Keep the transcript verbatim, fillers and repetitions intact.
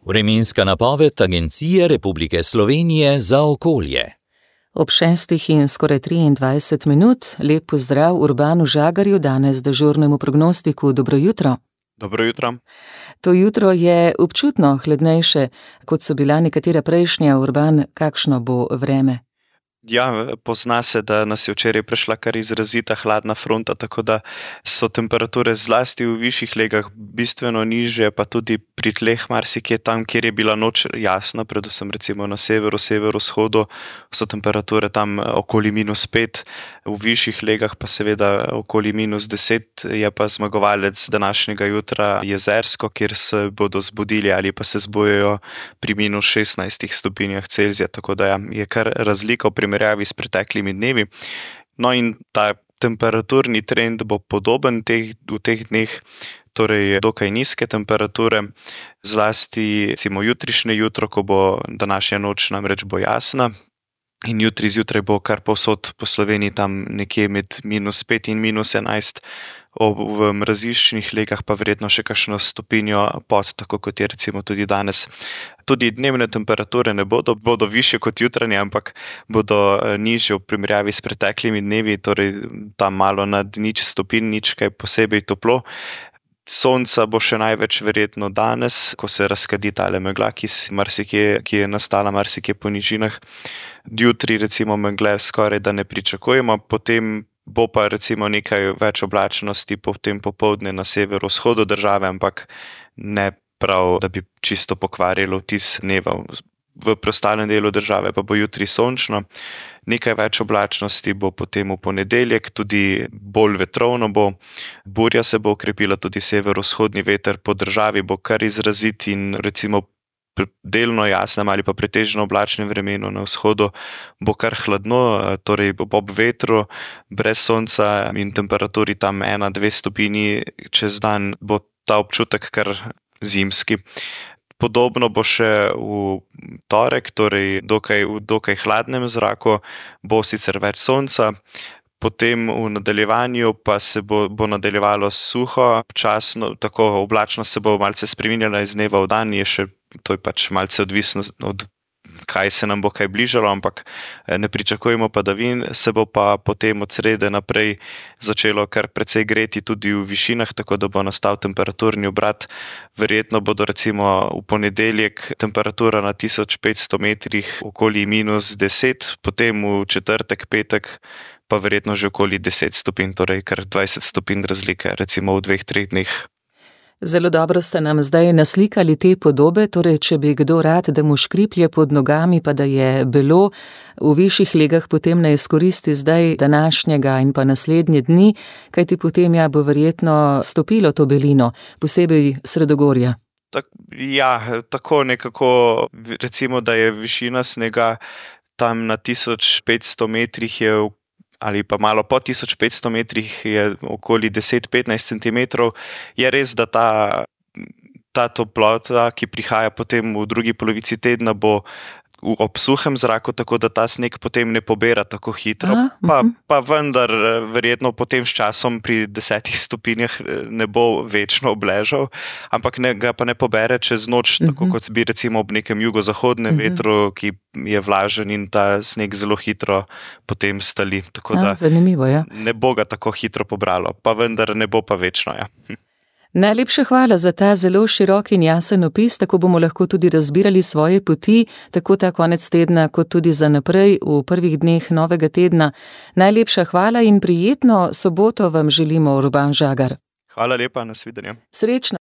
Vremenska napoved Agencije Republike Slovenije za okolje. Ob šestih in skoraj triindvajset minut, lep pozdrav Urbanu Žagarju, danes dežurnemu prognostiku. Dobro jutro. Dobro jutro. To jutro je občutno hladnejše, kot so bila nekatera prejšnja. Urban, kakšno bo vreme? Ja, pozna se, da nas je včeraj prešla kar izrazita hladna fronta, tako da so temperature zlasti v višjih legah bistveno nižje, pa tudi pri tleh marsikje tam, kjer je bila noč jasna, predvsem recimo na severu, severovzhodu, so temperature tam okoli minus pet, v višjih legah pa seveda okoli minus deset, je pa zmagovalec današnjega jutra Jezersko, kjer se bodo zbudili ali pa se zbujajo pri minus šestnajstih stopinjah Celzija, tako da ja, je kar razlika v primerjavi s preteklimi dnevi. No in ta temperaturni trend bo podoben teh, v teh dneh, torej dokaj nizke temperature, zlasti recimo jutrišnje jutro, ko bo današnja noč namreč bo jasna. In jutri zjutraj bo kar povsod po Sloveniji tam nekje med minus pet in minus enajst, v mraziščnih legah pa verjetno še kakšno stopinjo pod, tako kot je recimo tudi danes. Tudi dnevne temperature ne bodo, bodo višje kot jutranje, ampak bodo nižje v primerjavi s preteklimi dnevi, torej tam malo nad nič stopinj, nič kaj posebej toplo. Sonca bo še največ verjetno danes, ko se razkadi tale megla, ki, marsikje, ki je nastala marsikje po nižinah. Jutri recimo megle skoraj da ne pričakujemo, potem bo pa recimo nekaj več oblačnosti potem popoldne na severovzhodu države, ampak ne prav, da bi čisto pokvarilo vtis dneva. V preostalem delu države pa bo jutri sončno, nekaj več oblačnosti bo potem v ponedeljek, tudi bolj vetrovno bo, burja se bo okrepila, tudi severovzhodni veter po državi bo kar izrazit in recimo delno jasnem ali pa pretežno oblačnem vremenu na vzhodu bo kar hladno, torej ob vetru, brez sonca in temperaturi tam ena, dve stopinji čez dan bo ta občutek kar zimski. Podobno bo še v torek, torej dokaj, v dokaj hladnem zraku, bo sicer več sonca, potem v nadaljevanju pa se bo, bo nadaljevalo suho, časno, tako oblačnost se bo malce spreminjala iz dneva v dan, je še, to je pač malce odvisno od kaj se nam bo kaj bližalo, ampak ne pričakujemo padavin, se bo pa potem od srede naprej začelo kar precej greti tudi v višinah, tako da bo nastal temperaturni obrat. Verjetno bodo recimo v ponedeljek temperatura na tisoč petsto metrih okoli minus deset, potem v četrtek, petek pa verjetno že okoli deset stopinj, torej kar dvajset stopinj razlike recimo v dveh, treh dneh. Zelo dobro ste nam zdaj naslikali te podobe, torej če bi kdo rad, da mu škriplje pod nogami, pa da je belo v višjih legah, potem ne izkoristi zdaj današnjega in pa naslednje dni, kajti potem ja bo verjetno stopilo to belino, posebej sredogorja. Tak, ja, tako nekako, recimo, da je višina snega tam na tisoč petsto metrih je v ali pa malo po tisoč petsto metrih je okoli deset do petnajst centimetrov, je res, da ta, ta toplota, ki prihaja potem v drugi polovici tedna, bo ob suhem zraku, tako da ta sneg potem ne pobera tako hitro, Aha, pa, uh-huh. pa vendar verjetno potem s časom pri desetih stopinjah ne bo večno obležal, ampak ne, ga pa ne pobere čez noč, uh-huh. tako kot bi recimo ob nekem jugozahodnem uh-huh. vetru, ki je vlažen in ta sneg zelo hitro potem stali. Tako A, da zanimivo, ja. ne bo ga tako hitro pobralo, pa vendar ne bo pa večno, ja. Najlepša hvala za ta zelo širok in jasen opis, tako bomo lahko tudi razbirali svoje poti, tako ta konec tedna, kot tudi za naprej v prvih dneh novega tedna. Najlepša hvala in prijetno soboto vam želimo, Urban Žagar. Hvala lepa, nasvidenje. Srečno.